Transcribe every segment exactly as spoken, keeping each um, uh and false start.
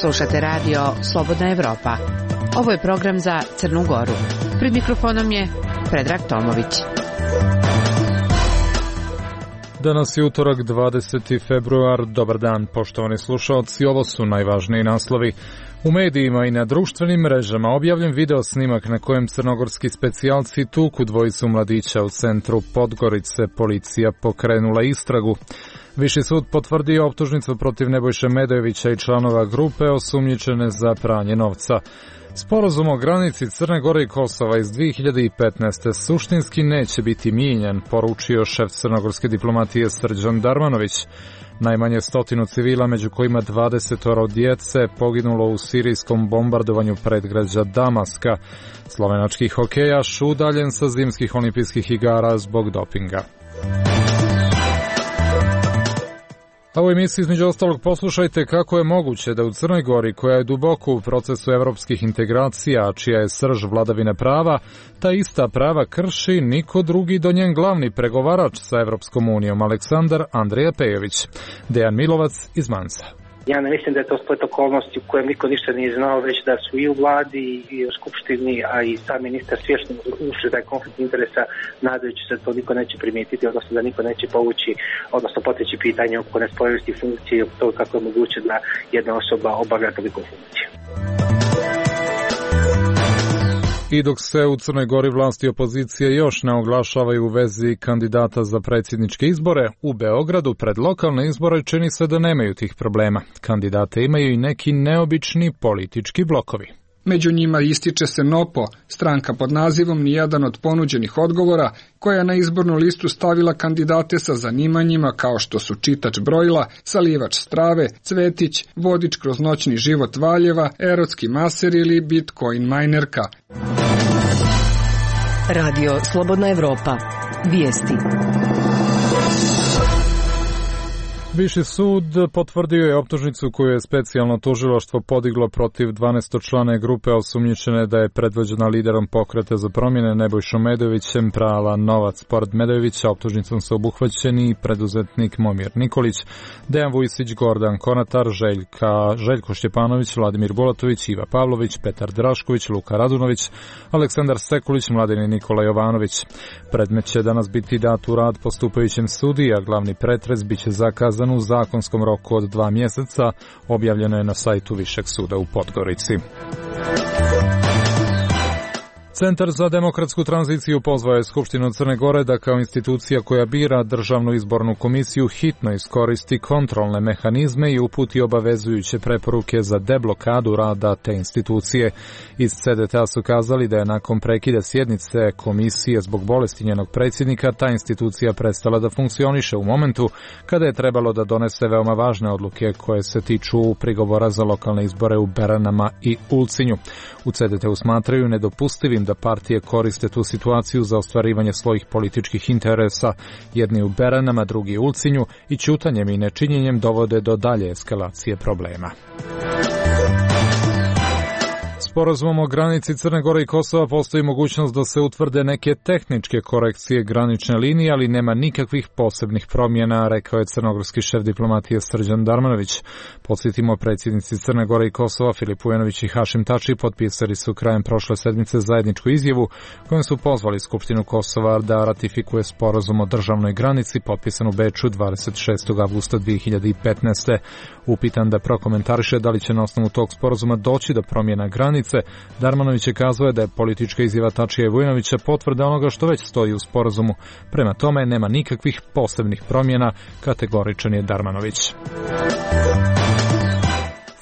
Slušate radio Slobodna Evropa. Ovo je program za Crnu Goru. Pred mikrofonom je Predrag Tomović. Danas je utorak, dvadeseti februar. Dobar dan, poštovani slušalci. Ovo su najvažniji naslovi. U medijima i na društvenim mrežama objavljen video snimak na kojem crnogorski specijalci tuku dvojicu mladića u centru Podgorice. Policija pokrenula istragu. Viši sud potvrdio optužnicu protiv Nebojše Medojevića i članova grupe osumnjičene za pranje novca. Sporazum o granici Crne Gore i Kosova iz dvije hiljade petnaeste. suštinski neće biti mijenjan, poručio šef crnogorske diplomatije Srđan Darmanović. Najmanje stotinu civila, među kojima dvadesetoro djece, poginulo u sirijskom bombardovanju predgrađa Damaska. Slovenački hokejaš udaljen sa zimskih olimpijskih igara zbog dopinga. A u emisiji između ostalog poslušajte kako je moguće da u Crnoj Gori, koja je duboko u procesu evropskih integracija, čija je srž vladavine prava, ta ista prava krši niko drugi do njen glavni pregovarač sa Evropskom unijom, Aleksandar Andreja Pejović. Dejan Milovac iz Mansa. Ja ne mislim da je to splet okolnosti u kojem niko ništa nije znao, već da su i u vladi i u skupštini, a i sam ministar svjesno ušli da je konflikt interesa, nadajući se da to niko neće primijetiti, odnosno da niko neće povući, odnosno poteći pitanje oko nespojivosti funkcije, to kako je moguće da jedna osoba obavlja toliko funkcije. I dok se u Crnoj Gori vlasti i opozicije još ne oglašavaju u vezi kandidata za predsjedničke izbore, u Beogradu pred lokalne izbore čini se da nemaju tih problema. Kandidate imaju i neki neobični politički blokovi. Među njima ističe se NOPO, stranka pod nazivom Nijedan od ponuđenih odgovora, koja je na izbornu listu stavila kandidate sa zanimanjima kao što su čitač brojila, salivač strave, cvetić, vodič kroz noćni život Valjeva, erotski maser ili bitcoin minerka. Radio Slobodna Evropa. Vijesti. Viši sud potvrdio je optužnicu koju je specijalno tužilaštvo podiglo protiv dvanaestočlane grupe osumnjičene da je predvođena liderom Pokreta za promjene Nebojšom Medojevićem prala novac. Pored Medojevića optužnicom su obuhvaćeni preduzetnik Momir Nikolić, Dejan Vujsić, Gordan Konatar, Željka, Željko Šćepanović, Vladimir Bulatović, Iva Pavlović, Petar Drašković, Luka Radunović, Aleksandar Sekulić, Mladen i Nikola Jovanović. Predmet će danas biti dat u rad postupajućem sudiji, a glavni pretres biće zakazan u zakonskom roku od dva mjeseca, objavljeno je na sajtu Višeg suda u Podgorici. Centar za demokratsku tranziciju pozvao je Skupštinu Crne Gore da kao institucija koja bira državnu izbornu komisiju hitno iskoristi kontrolne mehanizme i uputi obavezujuće preporuke za deblokadu rada te institucije. Iz C D T A su kazali da je nakon prekida sjednice komisije zbog bolesti njenog predsjednika ta institucija prestala da funkcioniše u momentu kada je trebalo da donese veoma važne odluke koje se tiču prigovora za lokalne izbore u Beranama i Ulcinju. U C D T U smatraju nedopustivim da partije koriste tu situaciju za ostvarivanje svojih političkih interesa. Jedni u Beranama, drugi u Ulcinju i ćutanjem i nečinjenjem dovode do dalje eskalacije problema. Sporazumom o granici Crne Gore i Kosova postoji mogućnost da se utvrde neke tehničke korekcije granične linije, ali nema nikakvih posebnih promjena, rekao je crnogorski šef diplomatije Srđan Darmanović. Podsjetimo, predsjednici Crne Gore i Kosova Filip Vujanović i Hašim Tači potpisali su krajem prošle sedmice zajedničku izjavu kojom su pozvali Skupštinu Kosova da ratifikuje sporazum o državnoj granici potpisan u Beču dvadeset šestog avgusta dvije hiljade petnaeste. Upitan da prokomentariše da li će na osnovu tog sporazuma doći do promjena granice, Darmanović je kazao da je politička izjava Tačija i Vujanovića potvrda onoga što već stoji u sporazumu. Prema tome nema nikakvih posebnih promjena, kategoričan je Darmanović.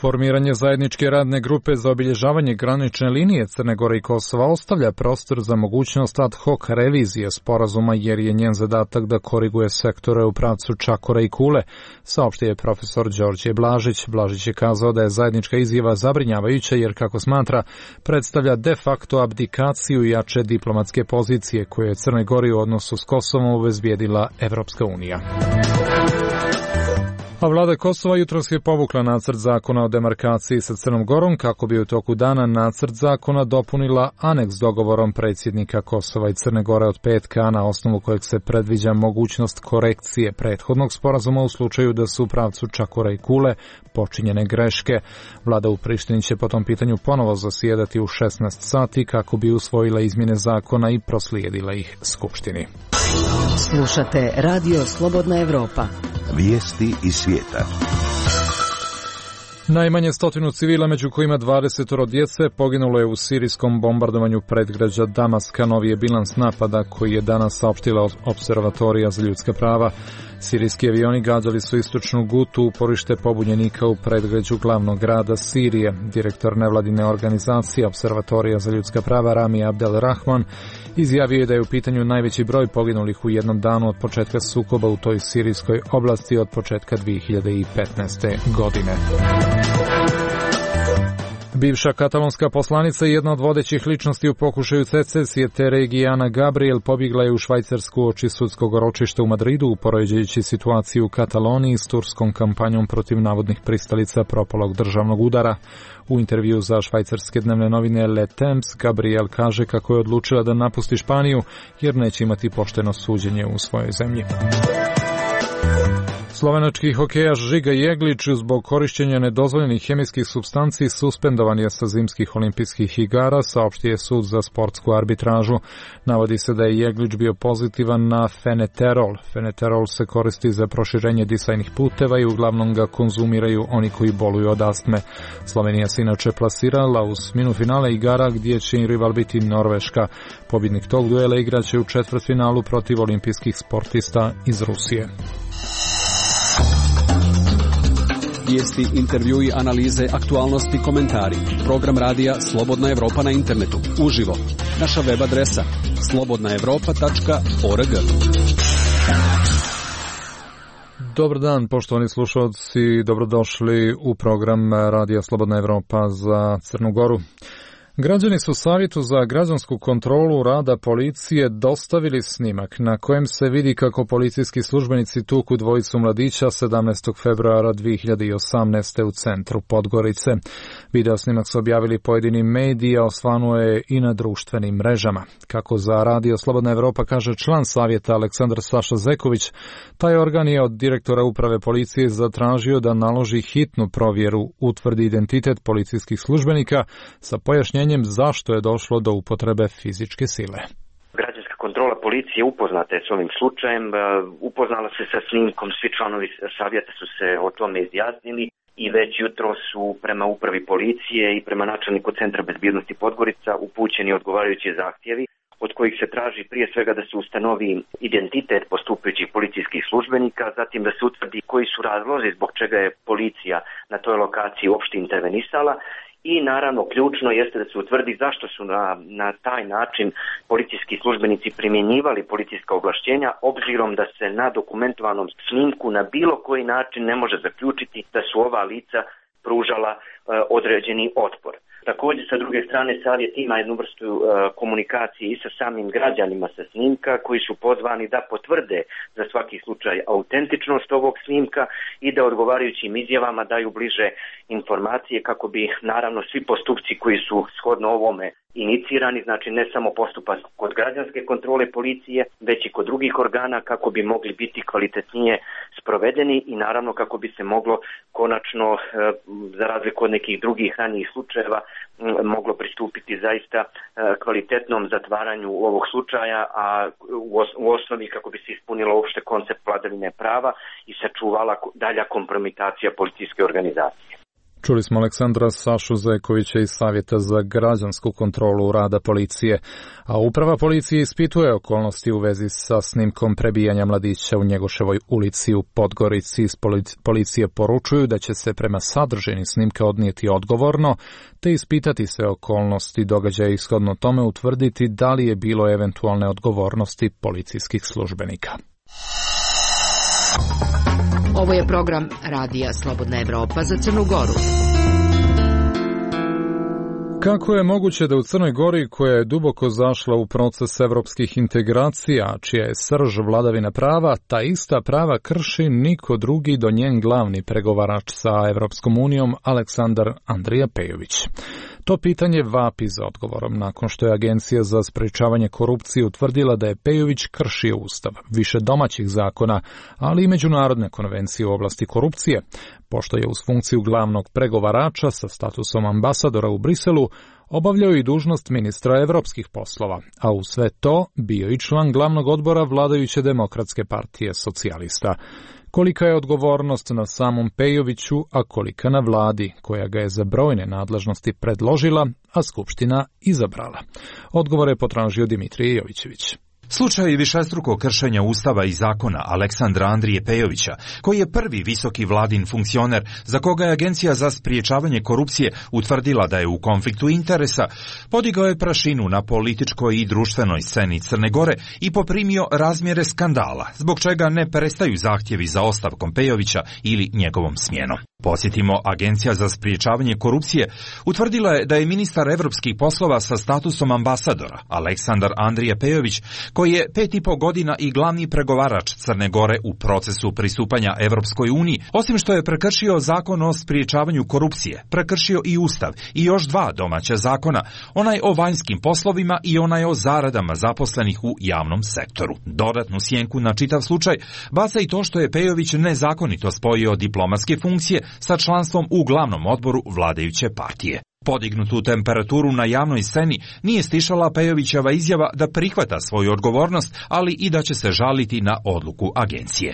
Formiranje zajedničke radne grupe za obilježavanje granične linije Crne Gore i Kosova ostavlja prostor za mogućnost ad hoc revizije sporazuma jer je njen zadatak da koriguje sektore u pravcu Čakora i Kule, saopštio je profesor Đorđe Blažić. Blažić je kazao da je zajednička izjava zabrinjavajuća jer, kako smatra, predstavlja de facto abdikaciju jače diplomatske pozicije koje je Crnoj Gori u odnosu s Kosovom obezbijedila Evropska unija. A vlada Kosova jutros je povukla nacrt zakona o demarkaciji sa Crnom Gorom kako bi u toku dana nacrt zakona dopunila aneks dogovorom predsjednika Kosova i Crne Gore od petka, na osnovu kojeg se predviđa mogućnost korekcije prethodnog sporazuma u slučaju da su u pravcu Čakora i Kule počinjene greške. Vlada u Prištini će po tom pitanju ponovo zasjedati u šesnaest sati kako bi usvojila izmjene zakona i proslijedila ih Skupštini. Slušate Radio Slobodna Evropa. Vijesti iz svijeta. Najmanje stotinu civila, među kojima dvadesetoro djece, poginulo je u sirijskom bombardovanju predgrađa Damaska. Novi je bilans napada koji je danas saopštila Observatorija za ljudska prava. Sirijski avioni gađali su istočnu Gutu, uporište pobunjenika u predgrađu glavnog grada Sirije. Direktor nevladine organizacije Observatorija za ljudska prava Rami Abdel Rahman izjavio je da je u pitanju najveći broj poginulih u jednom danu od početka sukoba u toj sirijskoj oblasti od početka dvije hiljade petnaeste. godine. Bivša katalonska poslanica i jedna od vodećih ličnosti u pokušaju secesije te regije Ana Gabriel pobjegla je u Švajcarsku oči sudskog ročišta u Madridu, upoređujući situaciju u Kataloniji s turskom kampanjom protiv navodnih pristalica propalog državnog udara. U intervju za švajcarske dnevne novine Le Temps, Gabriel kaže kako je odlučila da napusti Španiju jer neće imati pošteno suđenje u svojoj zemlji. Slovenački hokejaš Žiga Jeglić zbog korišćenja nedozvoljenih hemijskih supstanci suspendovan je sa zimskih olimpijskih igara, saopštio je sud za sportsku arbitražu. Navodi se da je Jeglić bio pozitivan na feneterol. Feneterol se koristi za proširenje disajnih puteva i uglavnom ga konzumiraju oni koji boluju od astme. Slovenija se inače plasirala u osminu finale igara gdje će im rival biti Norveška. Pobjednik tog duela igraće u četvrtfinalu protiv olimpijskih sportista iz Rusije. Vijesti, intervjui, analize, aktualnosti, komentari. Program radija Slobodna Evropa na internetu. Uživo. Naša web adresa slobodna evropa tačka org. Dobar dan, poštovani slušalci, dobrodošli u program radija Slobodna Evropa za Crnu Goru. Građani su Savjetu za građansku kontrolu rada policije dostavili snimak na kojem se vidi kako policijski službenici tuku dvojicu mladića sedamnaestog februara dvije hiljade osamnaeste. u centru Podgorice. Video snimak su objavili pojedini mediji, a osvanuo je i na društvenim mrežama. Kako za Radio Slobodna Evropa kaže član Savjeta Aleksandar Saša Zeković, taj organ je od direktora uprave policije zatražio da naloži hitnu provjeru, utvrdi identitet policijskih službenika sa pojašnjenjem zašto je došlo do upotrebe fizičke sile. Građanska kontrola policije upoznata je s ovim slučajem, upoznala se sa snimkom, svi članovi savjeta su se o tome izjasnili i već jutro su prema upravi policije i prema načelniku Centra bezbjednosti Podgorica upućeni odgovarajući zahtjevi od kojih se traži prije svega da se ustanovi identitet postupajućih policijskih službenika, zatim da se utvrdi koji su razlozi zbog čega je policija na toj lokaciji uopšte intervenisala. I naravno ključno jeste da se utvrdi zašto su na, na taj način policijski službenici primjenjivali policijska ovlašćenja, obzirom da se na dokumentovanom snimku na bilo koji način ne može zaključiti da su ova lica pružala e, određeni otpor. Također, sa druge strane, savjet ima jednu vrstu e, komunikacije i sa samim građanima sa snimka koji su pozvani da potvrde za svaki slučaj autentičnost ovog snimka i da odgovarajućim izjavama daju bliže informacije kako bi naravno svi postupci koji su shodno ovome inicirani, znači ne samo postupak kod građanske kontrole policije, već i kod drugih organa kako bi mogli biti kvalitetnije sprovedeni i naravno kako bi se moglo konačno, e, za razliku od nekih drugih ranijih slučajeva, moglo pristupiti zaista kvalitetnom zatvaranju ovog slučaja, a u osnovi kako bi se ispunilo uopšte koncept vladavine prava i sačuvala dalja kompromitacija policijske organizacije. Čuli smo Aleksandra Sašu Zekovića iz Savjeta za građansku kontrolu rada policije, a uprava policije ispituje okolnosti u vezi sa snimkom prebijanja mladića u Njegoševoj ulici u Podgorici. Iz policije poručuju da će se prema sadržini snimka odnijeti odgovorno, te ispitati sve okolnosti događaja i shodno tome utvrditi da li je bilo eventualne odgovornosti policijskih službenika. Ovo je program Radija Slobodna Evropa za Crnu Goru. Kako je moguće da u Crnoj Gori, koja je duboko zašla u proces evropskih integracija, čija je srž vladavina prava, ta ista prava krši niko drugi do njen glavni pregovarač sa Evropskom unijom, Aleksandar Andrija Pejović? To pitanje vapi za odgovorom nakon što je Agencija za sprečavanje korupcije utvrdila da je Pejović kršio Ustav, više domaćih zakona, ali i međunarodne konvencije u oblasti korupcije, pošto je uz funkciju glavnog pregovarača sa statusom ambasadora u Briselu obavljao i dužnost ministra evropskih poslova, a u sve to bio i član glavnog odbora vladajuće Demokratske partije socijalista. Kolika je odgovornost na samom Pejoviću, a kolika na vladi, koja ga je za brojne nadležnosti predložila, a Skupština izabrala? Odgovor je potražio Dimitrije Jovićević. Slučaj višestrukog kršenja Ustava i zakona Aleksandra Andrije Pejovića, koji je prvi visoki vladin funkcioner za koga je Agencija za spriječavanje korupcije utvrdila da je u konfliktu interesa, podigao je prašinu na političkoj i društvenoj sceni Crne Gore i poprimio razmjere skandala, zbog čega ne prestaju zahtjevi za ostavkom Pejovića ili njegovom smjenom. Posjetimo, Agencija za spriječavanje korupcije utvrdila je da je ministar evropskih poslova sa statusom ambasadora Aleksandar Andrija Pejović, koji je pet i po godina i glavni pregovarač Crne Gore u procesu pristupanja Evropskoj uniji, osim što je prekršio zakon o spriječavanju korupcije, prekršio i Ustav i još dva domaća zakona, onaj o vanjskim poslovima i onaj o zaradama zaposlenih u javnom sektoru. Dodatnu sjenku na čitav slučaj baca i to što je Pejović nezakonito spojio diplomatske funkcije sa članstvom u glavnom odboru vladajuće partije. Podignutu temperaturu na javnoj sceni nije stišala Pejovićeva izjava da prihvata svoju odgovornost, ali i da će se žaliti na odluku agencije.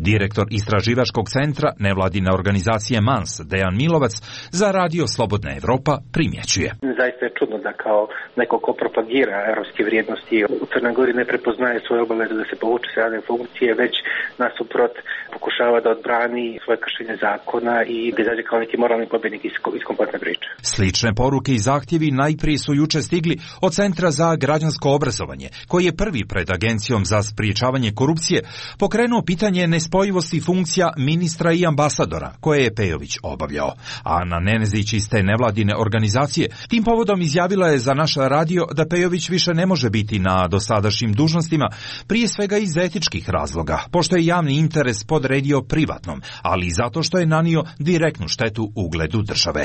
Direktor istraživačkog centra nevladine organizacije MANS, Dejan Milovac, za Radio Slobodna Evropa primjećuje. Zaista je čudno da kao neko ko propagira evropske vrijednosti u Crnoj Gori ne prepoznaje svoje obaveze da se povuče s javne funkcije, već nasuprot pokušava da odbrani svoje kršenje zakona i da izađe kao neki moralni pobjednik iz, iz kompletne priče. Slične poruke i zahtjevi najprije su juče stigli od Centra za građansko obrazovanje, koji je prvi pred Agencijom za spriječavanje korupcije pokrenuo pitanje nespojivosti funkcija ministra i ambasadora, koje je Pejović obavljao. Ana Nenezić iz te nevladine organizacije tim povodom izjavila je za naš radio da Pejović više ne može biti na dosadašnjim dužnostima, prije svega iz etičkih razloga, pošto je javni interes podredio privatnom, ali i zato što je nanio direktnu štetu ugledu države.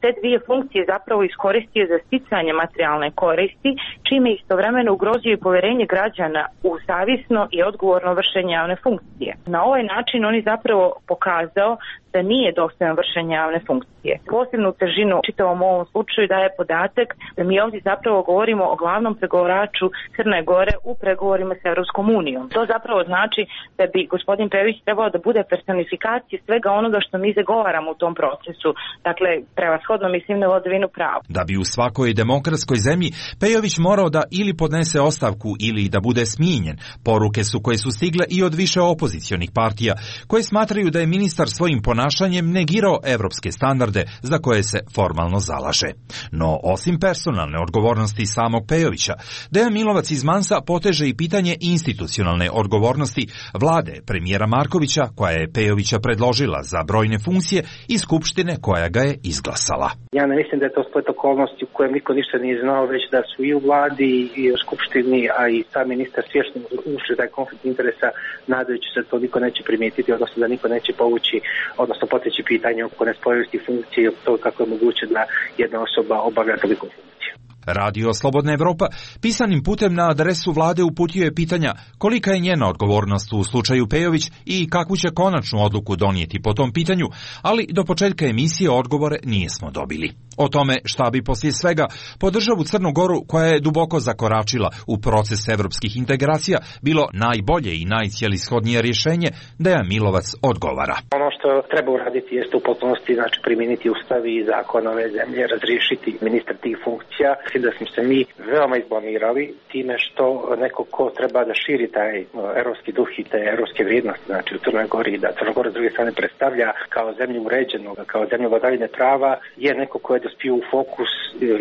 Te dvije funkcije zapravo iskoristio za sticanje materijalne koristi, čime istovremeno ugrozio i povjerenje građana u savjesno i odgovorno vršenje javne funkcije. Na ovaj način on je zapravo pokazao da nije dostojan vršenja javne funkcije. Posebnu težinu čitavom ovom slučaju daje podatak da mi ovdje zapravo govorimo o glavnom pregovaraču Crne Gore u pregovorima s Evropskom unijom. To zapravo znači da bi gospodin Pejović trebao da bude personifikacija svega onoga što mi zagovaramo u tom procesu. Dakle, prevashodno mislim na vladavinu prava. Da bi u svakoj demokratskoj zemlji Pejović morao da ili podnese ostavku ili da bude smijenjen, poruke su koje su stigle i od više opozicionih partija, koje smatraju da je ministar svojim ponašanjem negirao evropske standarde za koje se formalno zalaže. No, osim personalne odgovornosti samog Pejovića, Dejan Milovac iz Mansa poteže i pitanje institucionalne odgovornosti vlade premijera Markovića, koja je Pejovića predložila za brojne funkcije i Skupštine koja ga je izglasala. Ja ne mislim da je to splet okolnosti u kojem niko ništa nije znao, već da su i u vladi i u Skupštini, a i sam ministar svjesno ušli taj konflikt interesa, nadajući se da to niko neće primijetiti, odnosno da niko neće povući, odnosno poteći pitanje oko nespojivosti funkcije i to kako je moguće da jedna osoba obavlja toliko funkciju. Radio Slobodna Evropa pisanim putem na adresu vlade uputio je pitanja kolika je njena odgovornost u slučaju Pejović i kakvu će konačnu odluku donijeti po tom pitanju, ali do početka emisije odgovore nijesmo dobili. O tome šta bi poslije svega po državu Crnu Goru, koja je duboko zakoračila u proces evropskih integracija, bilo najbolje i najcijelishodnije rješenje, Dejan Milovac odgovara. Ono što treba uraditi jeste u potpunosti, znači primijeniti ustav i zakon ove zemlje, razriješiti ministar tih funkcija. Mislim da smo se mi veoma izblamirali time što neko ko treba da širi taj evropski duh i te evropske vrijednosti, znači u Crnoj Gori, da Crna Gora s druge strane predstavlja kao zemlju uređenog, kao zemlju vladavine prava, je neko ko je dospio u fokus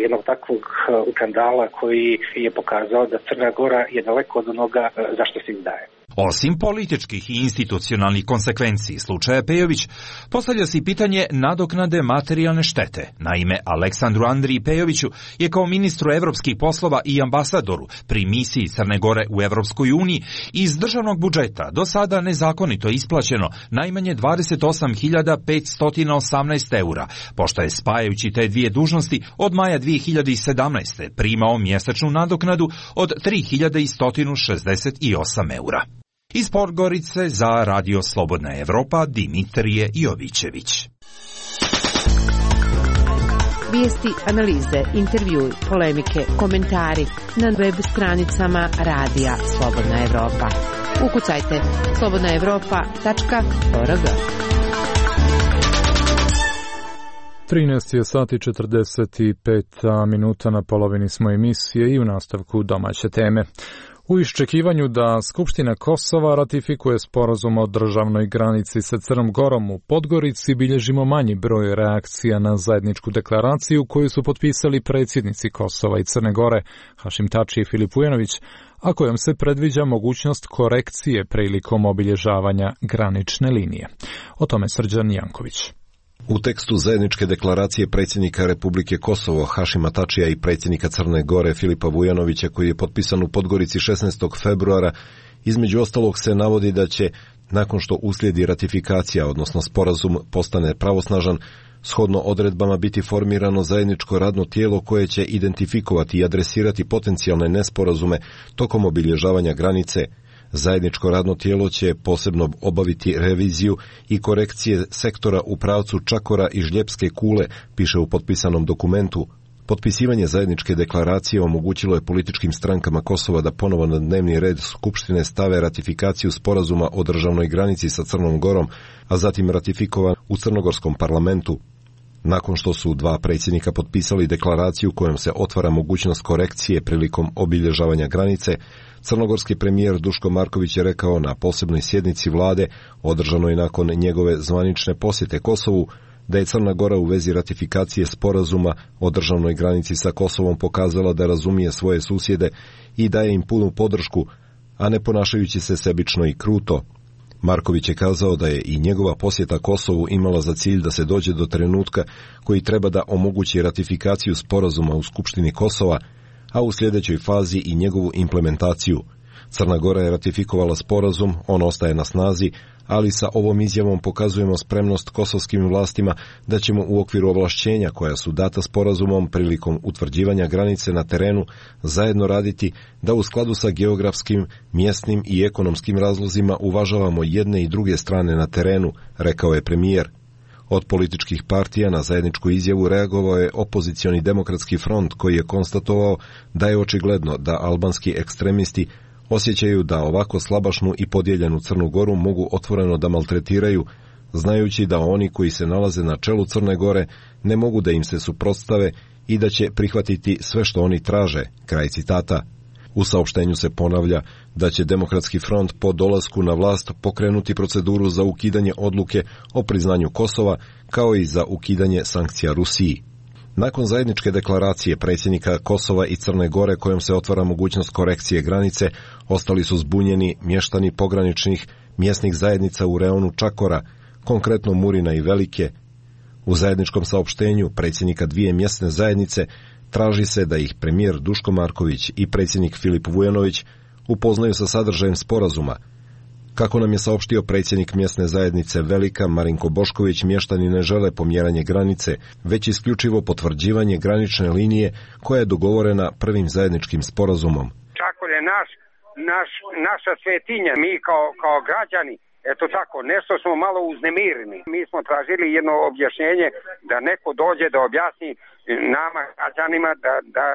jednog takvog skandala koji je pokazao da Crna Gora je daleko od onoga zašto se izdaje. Osim političkih i institucionalnih konsekvenci slučaja Pejović, postavlja se i pitanje nadoknade materijalne štete. Naime, Aleksandru Andriji Pejoviću je kao ministru evropskih poslova i ambasadoru pri misiji Crne Gore u Evropskoj uniji iz državnog budžeta do sada nezakonito isplaćeno najmanje dvadeset osam hiljada petsto osamnaest eura, pošto je spajajući te dvije dužnosti od maja dvije hiljade sedamnaeste. primao mjesečnu nadoknadu od tri hiljade sto šezdeset osam eura. Iz Podgorice za Radio Slobodna Evropa Dimitrije Jovićević. Vijesti, analize, intervjui, polemike, komentari na web stranicama Radija Slobodna Evropa. Ukucajte slobodna evropa tačka org. trinaest je sati četrdeset pet minuta, na polovini smo emisije i u nastavku domaće teme. U iščekivanju da Skupština Kosova ratifikuje sporazum o državnoj granici sa Crnom Gorom u Podgorici, bilježimo manji broj reakcija na zajedničku deklaraciju koju su potpisali predsjednici Kosova i Crne Gore, Hašim Tači i Filip Vujanović, a kojom se predviđa mogućnost korekcije prilikom obilježavanja granične linije. O tome Srđan Janković. U tekstu zajedničke deklaracije predsjednika Republike Kosovo Hašima Tačija i predsjednika Crne Gore Filipa Vujanovića, koji je potpisan u Podgorici šesnaestog februara, između ostalog se navodi da će, nakon što uslijedi ratifikacija, odnosno sporazum postane pravosnažan, shodno odredbama biti formirano zajedničko radno tijelo koje će identifikovati i adresirati potencijalne nesporazume tokom obilježavanja granice. Zajedničko radno tijelo će posebno obaviti reviziju i korekcije sektora u pravcu Čakora i Žljepske kule, piše u potpisanom dokumentu. Potpisivanje zajedničke deklaracije omogućilo je političkim strankama Kosova da ponovo na dnevni red Skupštine stave ratifikaciju sporazuma o državnoj granici sa Crnom Gorom, a zatim ratifikovan u crnogorskom parlamentu. Nakon što su dva predsjednika potpisali deklaraciju kojom se otvara mogućnost korekcije prilikom obilježavanja granice, crnogorski premijer Duško Marković je rekao na posebnoj sjednici vlade, održanoj nakon njegove zvanične posjete Kosovu, da je Crna Gora u vezi ratifikacije sporazuma o državnoj granici sa Kosovom pokazala da razumije svoje susjede i daje im punu podršku, a ne ponašajući se sebično i kruto. Marković je kazao da je i njegova posjeta Kosovu imala za cilj da se dođe do trenutka koji treba da omogući ratifikaciju sporazuma u Skupštini Kosova, a u sljedećoj fazi i njegovu implementaciju. Crna Gora je ratifikovala sporazum, on ostaje na snazi, ali sa ovom izjavom pokazujemo spremnost kosovskim vlastima da ćemo u okviru ovlašćenja koja su data sporazumom prilikom utvrđivanja granice na terenu zajedno raditi da u skladu sa geografskim, mjesnim i ekonomskim razlozima uvažavamo jedne i druge strane na terenu, rekao je premijer. Od političkih partija na zajedničku izjavu reagovao je opozicioni demokratski front, koji je konstatovao da je očigledno da albanski ekstremisti osjećaju da ovako slabašnu i podijeljenu Crnu Goru mogu otvoreno da maltretiraju, znajući da oni koji se nalaze na čelu Crne Gore ne mogu da im se suprotstave i da će prihvatiti sve što oni traže, kraj citata. U saopštenju se ponavlja da će Demokratski front po dolasku na vlast pokrenuti proceduru za ukidanje odluke o priznanju Kosova, kao i za ukidanje sankcija Rusiji. Nakon zajedničke deklaracije predsjednika Kosova i Crne Gore kojom se otvara mogućnost korekcije granice, ostali su zbunjeni mještani pograničnih mjesnih zajednica u reonu Čakora, konkretno Murina i Velike. U zajedničkom saopštenju predsjednika dvije mjesne zajednice traži se da ih premijer Duško Marković i predsjednik Filip Vujanović upoznaju sa sadržajem sporazuma. Kako nam je saopštio predsjednik mjesne zajednice Velika Marinko Bošković, mještani ne žele pomjeranje granice, već isključivo potvrđivanje granične linije koja je dogovorena prvim zajedničkim sporazumom. Čakor je naš, naš, naša svetinja, mi kao, kao građani, eto tako, nešto smo malo uznemireni. Mi smo tražili jedno objašnjenje da neko dođe da objasni nama građanima da, da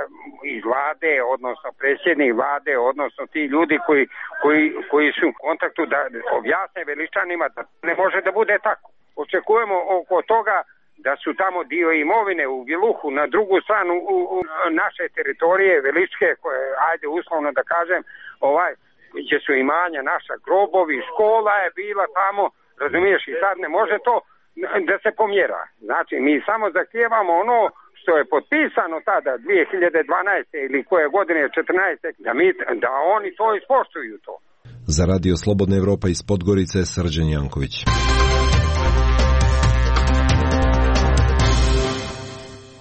iz vlade, odnosno predsjednik vlade, odnosno ti ljudi koji, koji, koji su u kontaktu da objasne Veličanima da ne može da bude tako. Očekujemo oko toga da su tamo dio imovine u Viluhu, na drugu stranu u, u naše teritorije Veličke, koje, ajde uslovno da kažem, ovaj, gdje su imanja naša, grobovi, škola je bila tamo, razumiješ, i sad ne može to da se pomjera. Znači, mi samo zahtijevamo ono što je potpisano tada dvije hiljade dvanaeste ili koje godine četrnaeste da, mi, da oni to ispoštuju to. Za Radio Slobodna Evropa iz Podgorice, Srđan Janković.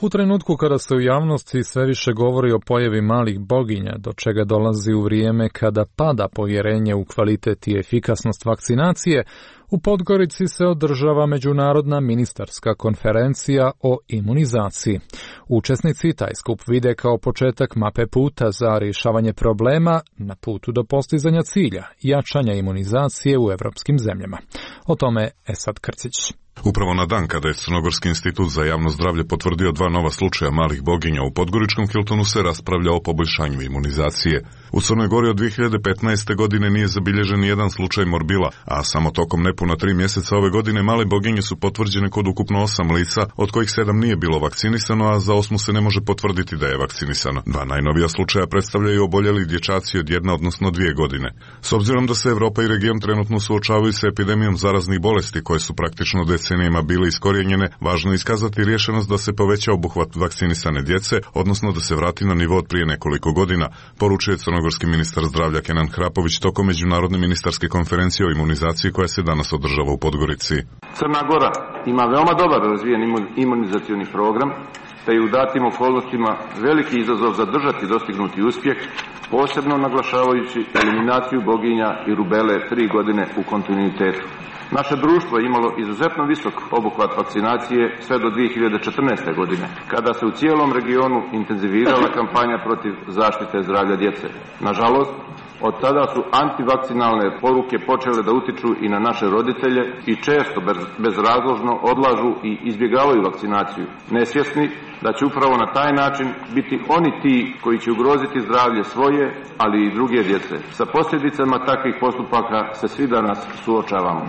U trenutku kada se u javnosti sve više govori o pojavi malih boginja, do čega dolazi u vrijeme kada pada povjerenje u kvalitet i efikasnost vakcinacije, u Podgorici se održava međunarodna ministarska konferencija o imunizaciji. Učesnici taj skup vide kao početak mape puta za rješavanje problema na putu do postizanja cilja, jačanja imunizacije u evropskim zemljama. O tome Esad Krcić. Upravo na dan kada je Crnogorski institut za javno zdravlje potvrdio dva nova slučaja malih boginja u Podgoričkom Hiltonu se raspravlja o poboljšanju imunizacije. U Crnoj Gori od dvije hiljade petnaeste. godine nije zabilježen jedan slučaj morbila, a samo tokom nepuna tri mjeseca ove godine male boginje su potvrđene kod ukupno osam lica, od kojih sedam nije bilo vakcinisano, a za osmu se ne može potvrditi da je vakcinisano. Dva najnovija slučaja predstavljaju oboljeli dječaci od jedna, odnosno dvije godine. S obzirom da se Evropa i region trenutno suočavaju sa epidemijom zaraznih bolesti koje su praktično decenijama bile iskorijenjene, važno je iskazati rješenost da se poveća obuhvat vakcinisane djece, odnosno da se vrati na nivo od prije nekoliko godina, poručuje crnogorski ministar zdravlja Kenan Hrapović tokom međunarodne ministarske konferencije o imunizaciji koja se danas održava u Podgorici. Crna Gora ima veoma dobar razvijen imunizacioni program, te je u datim okolnostima veliki izazov zadržati dostignuti uspjeh, posebno naglašavajući eliminaciju boginja i rubele tri godine u kontinuitetu. Naše društvo je imalo izuzetno visok obuhvat vakcinacije sve do dvije hiljade četrnaeste. godine, kada se u cijelom regionu intenzivirala kampanja protiv zaštite zdravlja djece. Nažalost, od tada su antivakcinalne poruke počele da utiču i na naše roditelje i često bez, bezrazložno odlažu i izbjegavaju vakcinaciju, nesvjesni da će upravo na taj način biti oni ti koji će ugroziti zdravlje svoje, ali i druge djece. Sa posljedicama takvih postupaka se svi danas suočavamo.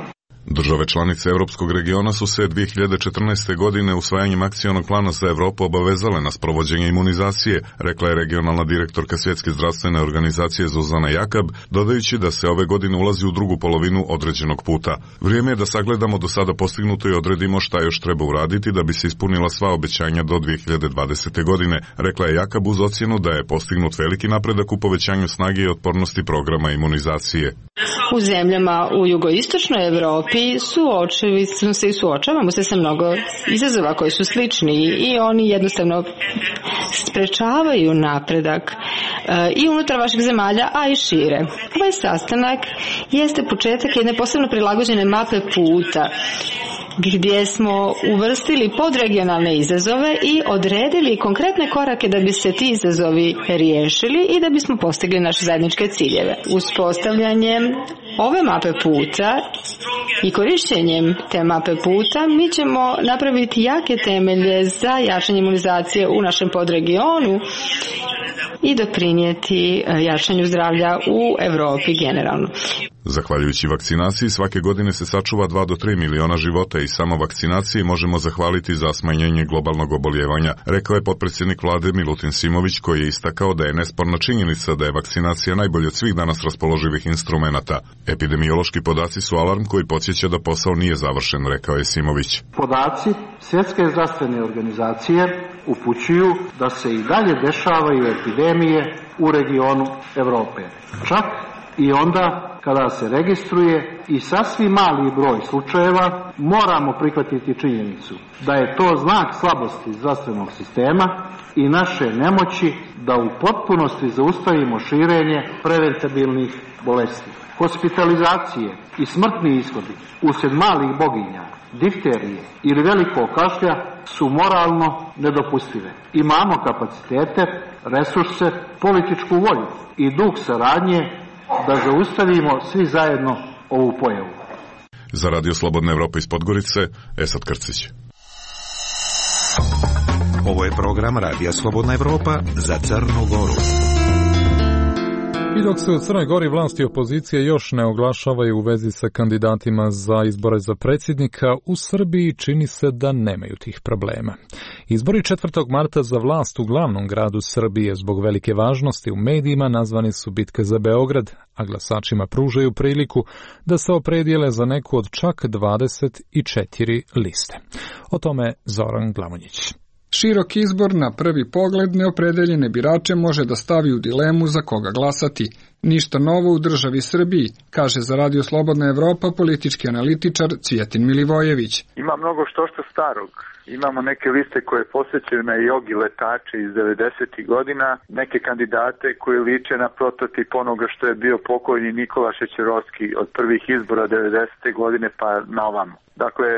Države članice Europskog regiona su se dvije hiljade četrnaeste. godine usvajanjem akcionog plana za Europu obavezale na sprovođenje imunizacije, rekla je regionalna direktorka Svjetske zdravstvene organizacije Zuzana Jakab, dodajući da se ove godine ulazi u drugu polovinu određenog puta. Vrijeme je da sagledamo do sada postignuto i odredimo šta još treba uraditi da bi se ispunila sva obećanja do dvije hiljade dvadesete. godine, rekla je Jakab uz ocjenu da je postignut veliki napredak u povećanju snage i otpornosti programa imunizacije. U zemljama u jugoistočnoj Europi suočili smo se i suočavamo se sa mnogo izazova koji su slični i oni jednostavno sprečavaju napredak i unutar vaših zemalja, a i šire. Ovaj sastanak jeste početak jedne posebno prilagođene mape puta gdje smo uvrstili podregionalne izazove i odredili konkretne korake da bi se ti izazovi riješili i da bismo postigli naše zajedničke ciljeve. Uspostavljanjem ove mape puta i korišćenjem te mape puta mi ćemo napraviti jake temelje za jačanje imunizacije u našem podregionu i doprinijeti jačanju zdravlja u Europi generalno. Zahvaljujući vakcinaciji svake godine se sačuva dva do tri miliona života i samo vakcinaciji možemo zahvaliti za smanjenje globalnog oboljevanja, rekao je potpredsjednik vlade Milutin Simović, koji je istakao da je nesporna činjenica da je vakcinacija najbolji od svih danas raspoloživih instrumenata. Epidemiološki podaci su alarm koji podsjeća da posao nije završen, rekao je Simović. Podaci Svjetske zdravstvene organizacije upućuju da se i dalje dešavaju epidemije u regionu Europe. Čak i onda kada se registruje i sasvim mali broj slučajeva, moramo prihvatiti činjenicu da je to znak slabosti zdravstvenog sistema i naše nemoći da u potpunosti zaustavimo širenje preventabilnih bolesti. Hospitalizacije i smrtni ishodi uslijed malih boginja, difterije ili velikog kašlja su moralno nedopustive. Imamo kapacitete, resurse, političku volju i duh saradnje da zaustavimo svi zajedno ovu pojavu. Za Radio Slobodna Evropa iz Podgorice, Esad Krcić. Ovo je program Radija Slobodna Evropa za Crnu Goru. I dok se u Crnoj Gori vlasti i opozicije još ne oglašavaju u vezi sa kandidatima za izbore za predsjednika, u Srbiji čini se da nemaju tih problema. Izbori četvrtog marta za vlast u glavnom gradu Srbije zbog velike važnosti u medijima nazvani su bitka za Beograd, a glasačima pružaju priliku da se opredijele za neku od čak dvadeset četiri liste. O tome Zoran Glamonjić. Širok izbor na prvi pogled neopredeljene birače može da stavi u dilemu za koga glasati. Ništa novo u državi Srbiji, kaže za Radio Slobodna Evropa politički analitičar Cvijetin Milivojević. Ima mnogo što što starog. Imamo neke liste koje posjećaju na jogi letače iz devedesetih godina, neke kandidate koji liče na prototip onoga što je bio pokojni Nikola Šećerovski od prvih izbora devedesete godine pa na ovamo. Dakle,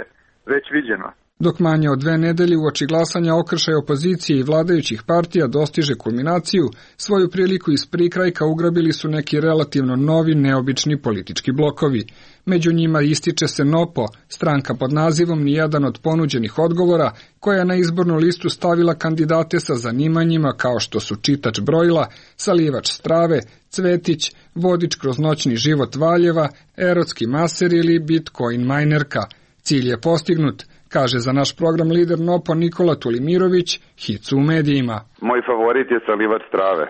već viđeno. Dok manje od dve nedelje uoči glasanja okršaj opozicije i vladajućih partija dostiže kulminaciju, svoju priliku iz prikrajka ugrabili su neki relativno novi, neobični politički blokovi. Među njima ističe se NOPO, stranka pod nazivom Nijedan od ponuđenih odgovora, koja je na izbornu listu stavila kandidate sa zanimanjima kao što su čitač brojila, salivač strave, cvetić, vodič kroz noćni život Valjeva, erotski maser ili bitcoin minerka. Cilj je postignut, kaže za naš program lider NOPO Nikola Tulimirović, Hicu u medijima. Moj favorit je salivač strave.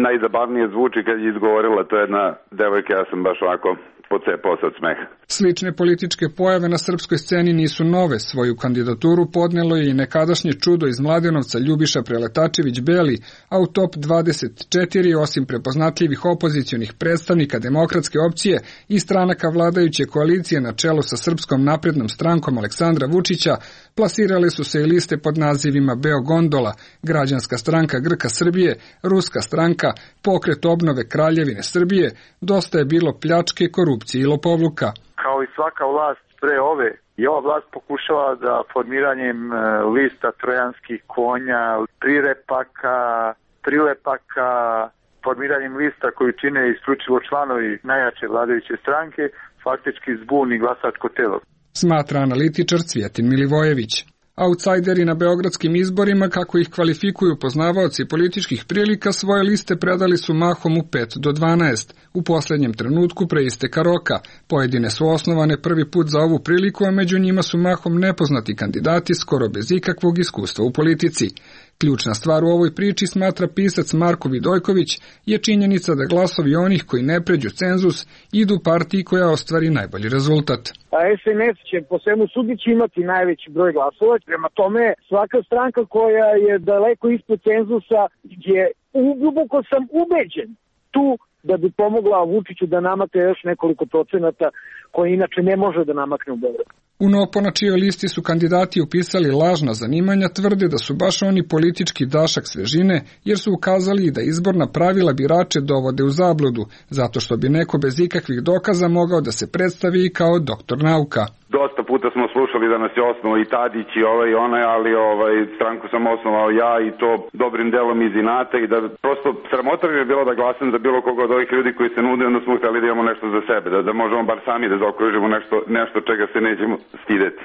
Najzabavnije zvuči kad je izgovorila, to je jedna devojka, ja sam baš ovako pocepao se od smeha. Slične političke pojave na srpskoj sceni nisu nove. Svoju kandidaturu podnelo je i nekadašnje čudo iz Mladenovca Ljubiša Preletačević-Beli, a u top dvadeset četiri, osim prepoznatljivih opozicionih predstavnika demokratske opcije i stranaka vladajuće koalicije na čelu sa Srpskom naprednom strankom Aleksandra Vučića, plasirale su se i liste pod nazivima Beogondola, Građanska stranka Grka Srbije, Ruska stranka, Pokret obnove Kraljevine Srbije, Dosta je bilo pljačke, korupcije i lopovluka. Kao i svaka vlast pre ove, i ova vlast pokušava da formiranjem lista trojanskih konja, prirepaka, prilepaka, formiranjem lista koju čine isključivo članovi najjače vladajuće stranke, faktički zbuni glasačko telo. Smatra analitičar Cvijetin Milivojević. Autsajderi na beogradskim izborima, kako ih kvalifikuju poznavaoci političkih prilika, svoje liste predali su mahom u pet do dvanaest. U posljednjem trenutku pre isteka roka. Pojedine su osnovane prvi put za ovu priliku, a među njima su mahom nepoznati kandidati skoro bez ikakvog iskustva u politici. Ključna stvar u ovoj priči, smatra pisac Marko Vidojković, je činjenica da glasovi onih koji ne pređu cenzus idu partiji koja ostvari najbolji rezultat. A es en es će po svemu sudići imati najveći broj glasova, prema tome svaka stranka koja je daleko ispod cenzusa je, duboko sam ubeđen, tu da bi pomogla Vučiću da namakne još nekoliko procenata koje inače ne može da namakne u Beogradu. U NOPO na čijoj listi su kandidati upisali lažna zanimanja, tvrde da su baš oni politički dašak svežine, jer su ukazali da izborna pravila birače dovode u zabludu, zato što bi neko bez ikakvih dokaza mogao da se predstavi kao doktor nauka. Dosta puta smo slušali da nas je osnovao i Tadić i ovaj i onaj, ali ovaj, stranku sam osnovao ja i to dobrim delom iz inata i da prosto sramota bi bilo da glasam za bilo koga od ovih ljudi koji se nude, onda smo hteli da imamo nešto za sebe, da, da možemo bar sami da zaokružimo nešto, nešto čega se nećemo stideti.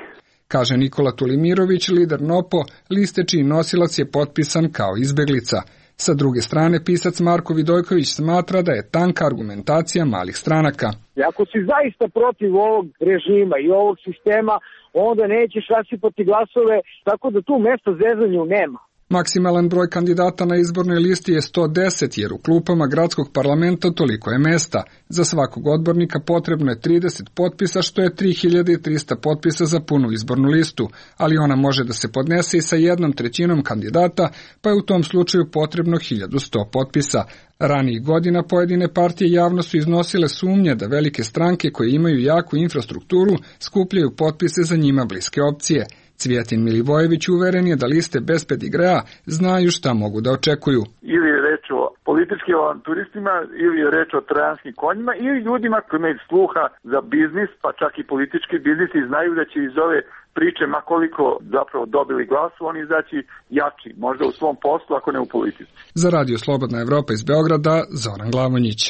Kaže Nikola Tulimirović, lider NOPO, liste čiji nosilac je potpisan kao izbeglica. Sa druge strane, pisac Marko Vidojković smatra da je tanka argumentacija malih stranaka. I ako si zaista protiv ovog režima i ovog sistema, onda nećeš rasipati glasove, tako da tu mesta zezanju nema. Maksimalan broj kandidata na izbornoj listi je sto deset, jer u klupama gradskog parlamenta toliko je mesta. Za svakog odbornika potrebno je trideset potpisa, što je tri hiljade trista potpisa za punu izbornu listu, ali ona može da se podnese i sa jednom trećinom kandidata, pa je u tom slučaju potrebno hiljadu sto potpisa. Ranijih godina pojedine partije javno su iznosile sumnje da velike stranke koje imaju jaku infrastrukturu skupljaju potpise za njima bliske opcije. Cvijetin Milivojević uveren je da liste bez pedigrea znaju šta mogu da očekuju. Ili je reč o političkim avanturistima, ili je reč o trojanskim konjima, ili ljudima koji imaju sluha za biznis, pa čak i politički biznis, i znaju da će iz ove priče, ma koliko zapravo dobili glasu, oni izaći jači, možda u svom poslu, ako ne u politici. Za Radio Slobodna Evropa iz Beograda, Zoran Glavonjić.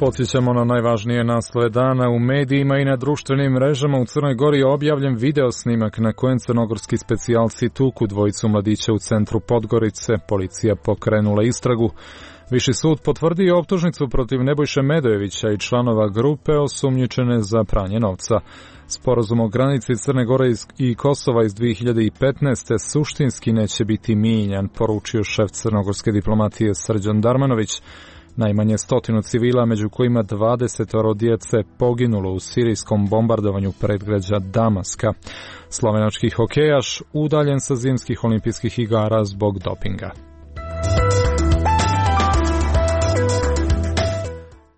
Podsjećamo na najvažnije naslove dana. U medijima i na društvenim mrežama u Crnoj Gori je objavljen video snimak na kojem crnogorski specijalci tuku dvojicu mladića u centru Podgorice. Policija pokrenula istragu. Viši sud potvrdio optužnicu protiv Nebojše Medojevića i članova grupe osumnjičene za pranje novca. Sporazum o granici Crne Gore i Kosova iz dve hiljade petnaeste. suštinski neće biti mijenjan, poručio šef crnogorske diplomatije Srđan Darmanović. Najmanje stotinu civila, među kojima dvadesetoro djece, poginulo u sirijskom bombardovanju predgrađa Damaska. Slovenački hokejaš udaljen sa zimskih olimpijskih igara zbog dopinga.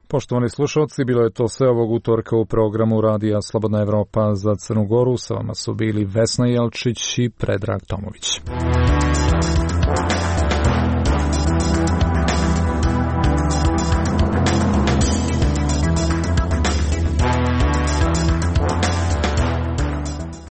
Poštovani slušalci, bilo je to sve ovog utorka u programu Radija Slobodna Evropa za Crnu Goru. Sa vama su bili Vesna Jelčić i Predrag Tomović.